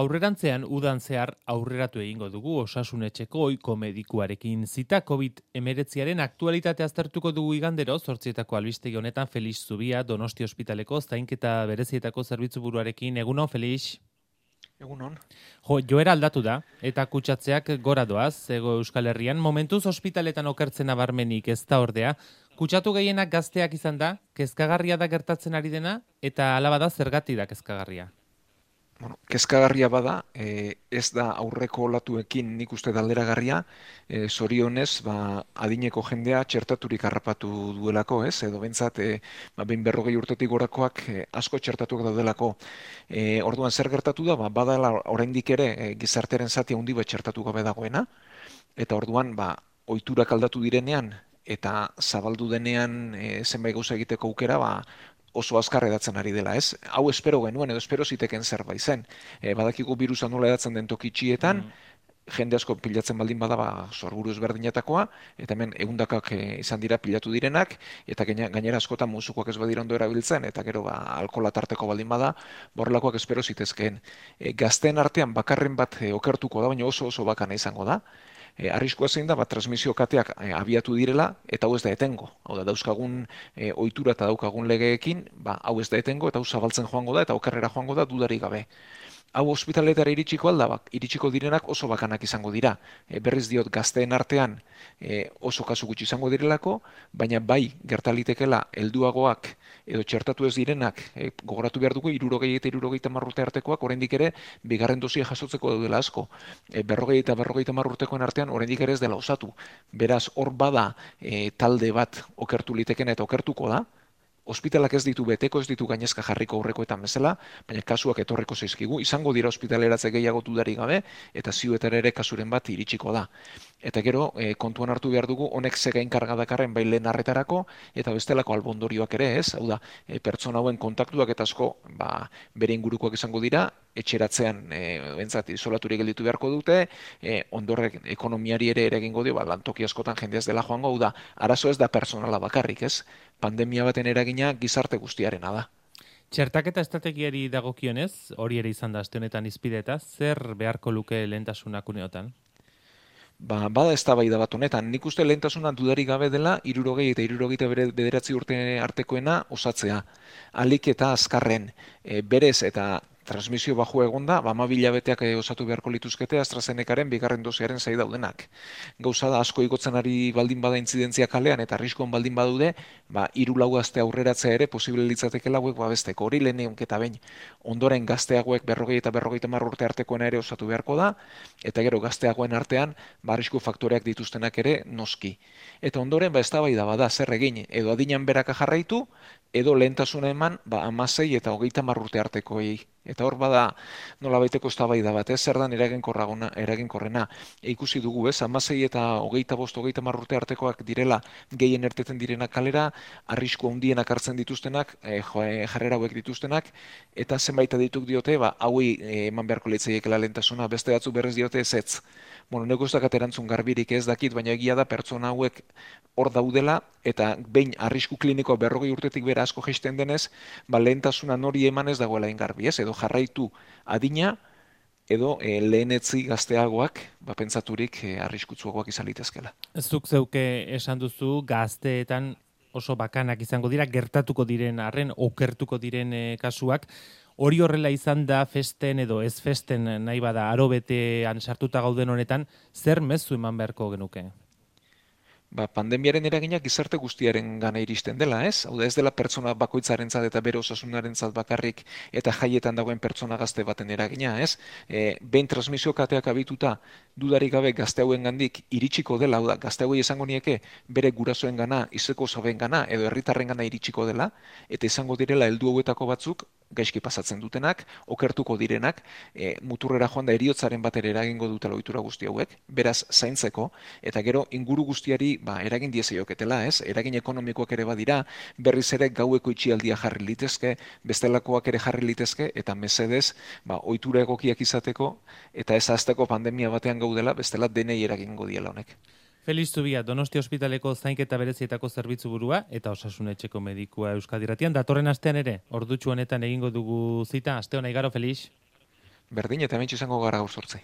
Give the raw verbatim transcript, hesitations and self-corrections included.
Aurrerantzean udan zehar aurreratu egingo dugu osasunetxeko ohiko medikuarekin zita covid hemeretziaren aktualitatea aztertuko dugu igandero, zortzietako albistegi honetan Felix Zubia, Donosti Ospitaleko zainketa berezietako zerbitzu buruarekin. Egunon, Felix? Egunon. Jo, joera aldatu da, eta kutsatzeak gora doaz, ego Euskal Herrian. Momentuz ospitaletan okertzen abarmenik ez da ordea. Kutsatu gehienak gazteak izan da, kezkagarria da gertatzen ari dena, eta alaba da zergatik da kezkagarria. Bueno, kezkagarria bada, e, ez da aurreko olatuekin nik uste alderagarria, e, zorionez, ba, adineko jendea txertaturik harrapatu duelako, ez? Edo bentsat, e, ba, behin berrogei urtetik gorakoak e, asko txertatuak daudelako. E, orduan zer gertatu da, ba, badala oraindik ere e, gizartearen zati handi bat txertatu gabe dagoena, eta orduan, ba, ohiturak aldatu direnean, eta zabaldu denean e, zenbait gauza egiteko aukera, ba, oso azkar edatzen ari dela, ez? Hau espero genuen, edo espero ziteken zerbait zen. E, badakigu virusa nola edatzen den tokitxietan, mm. jende asko pilatzen baldin bada, ba, sorburu ezberdinetakoa, eta hemen egundakak e, izan dira pilatu direnak, eta gainera askotan musukoak ez badira ondo erabiltzen, eta gero ba, alkola tarteko baldin bada, borrelakoak espero zitezkeen. E, gazteen artean bakarren bat e, okertuko da, baina oso oso bakana izango da. E, arriskua zein da, bat transmisio kateak e, abiatu direla, eta hau ez da etengo. Hau da, dauzkagun e, ohitura eta daukagun legeekin, ba, hau ez da etengo, eta hau zabaltzen joango da, eta okerrera joango da dudarik gabe. Hau ospitaletara iritsiko alda, bak, iritsiko direnak oso bakanak izango dira. E, berriz diot, gazteen artean e, oso kasu gutxi izango direlako, baina bai gertalitekela helduagoak edo txertatu ez direnak, e, gogoratu behar dugu, hirurogei eta hirurogeita hamar urte artekoak oraindik ere bigarren dosia jasotzeko daudela asko. E, berrogei eta berrogeita hamar urtekoen artean oraindik ere ez dela osatu. Beraz, hor bada e, talde bat okertu liteken eta okertuko da, ospitalak ez ditu beteko, ez ditu gainezka jarriko aurrekoetan bezala, baina kasuak etorreko zaizkigu, izango dira ospitaleratze gehiago dudarik gabe, eta ziuetara ere kasuren bat iritsiko da. Eta gero, e, kontuan hartu behar dugu, honek zegain karga dakarren bai lehen arretarako, eta bestelako albondorioak ere, ez? Hau da, e, pertsona hauen kontaktuak eta asko, ba, bere ingurukoak izango dira, etxeratzean, e, bentsat, isolaturik gelditu beharko dute, e, ondorrek ekonomiari ere eragingo dio, ba, lantoki askotan jendea ez dela joango, hau da, arazo ez da personala bakarrik, ez? Pandemia baten eragina gizarte guztiarena da. Txertaketa estrategiari dagokionez, hori ere izan da aste honetan hizpideta, zer beharko luke lehentasunak uneotan? Ba, bada eztabaida bat honetan, nik uste lehentasuna dudarik gabe dela, hirurogei eta hirurogeita bederatzi urte artekoena osatzea. Alik eta azkarren, e, berez eta transmisio baju egonda, ba, amabila beteak osatu beharko lituzkete AstraZenecaren bigarren dosiaren zai daudenak. Gauza da, asko igotzen ari baldin bada intzidentzia kalean eta arriskoan baldin badude, ba, hiru lau gazte aurreratzea ere posible litzatekela hauek babesteko. Hori lehen egunketa behin. Ondoren gazteagoek berrogei eta berrogeita hamar urte artekoena ere osatu beharko da, eta gero gazteagoen artean, ba, arrisku faktoreak dituztenak ere noski. Eta ondoren, ba, eztabaida bada zer egin, edo adinan beraka jarraitu, edo lehentasuna eman, ba, hamasei eta hogeita hamar urte artekoei. Eta hor bada nola baiteko eztabaida bat, ez zer dan eraginkorraguna, eraginkorrena. E, ikusi dugu, ez, hamasei eta hogeita bost, hogeita hamar urte artekoak direla gehien erteten direnak kalera, arrisku handienak hartzen dituztenak, e, jo, e, jarrera hauek dituztenak, eta zenbait adituk diote, ba, hauei e, eman beharko litzaiekela lehentasuna, beste batzu berrez diote ez ez. Bueno, nego ez dakat erantzun garbirik ez dakit, baina egia da pertsona hauek hor daudela, eta behin arrisku klinikoa berrogei urtetik bera asko jaisten denez, ba, lehentasuna nori eman ez dagoela ingarbi, ez? Edo jarraitu adina, edo e, lehenetzi gazteagoak, ba, pentsaturik e, arriskutsuagoak izan litezkela. Zuk zeuke esan duzu gazteetan oso bakanak izango dira, gertatuko diren arren, okertuko diren e, kasuak. Hori horrela izan da festen edo ez festen nahi bada arobetean sartuta gauden honetan, zer mezu eman beharko genuke? Ba, pandemiaren eragina gizarte guztiaren gana iristen dela, ez? Hau da, ez dela pertsona bakoitzarentzat eta bere osasunarentzat bakarrik eta jaietan dagoen pertsona gazte baten eragina, ez? E, behin transmisio kateak abituta dudarik gabe gazte hauen gandik iritsiko dela, hau da, gazte hauei esango nieke bere gurasoen gana, izeko zaben gana edo herritarren gana iritsiko dela, eta izango direla heldu hauetako batzuk gaizki pasatzen dutenak, okertuko direnak, e, muturrera joan da eriotzaren batera eragingo dutela ohitura guzti hauek, beraz zaintzeko, eta gero inguru guztiari ba, eragin diezaioketela, ez? Eragin ekonomikoak ere badira, berriz ere gaueko itxialdia jarri litezke, bestelakoak ere jarri litezke, eta mesedez, ba, ohitura egokiak izateko, eta ez azteko pandemia batean gaudela, bestela denei eragingo diela honek. Felix Zubia, Donosti Ospitaleko zainketa berezietako zerbitzu burua eta osasunetxeko medikua Euskadi Irratian. Datorren astean ere, ordutxu honetan egingo dugu zita. Aste hona igaro, Felix. Berdin, eta hemen izango gara gaur sortzi.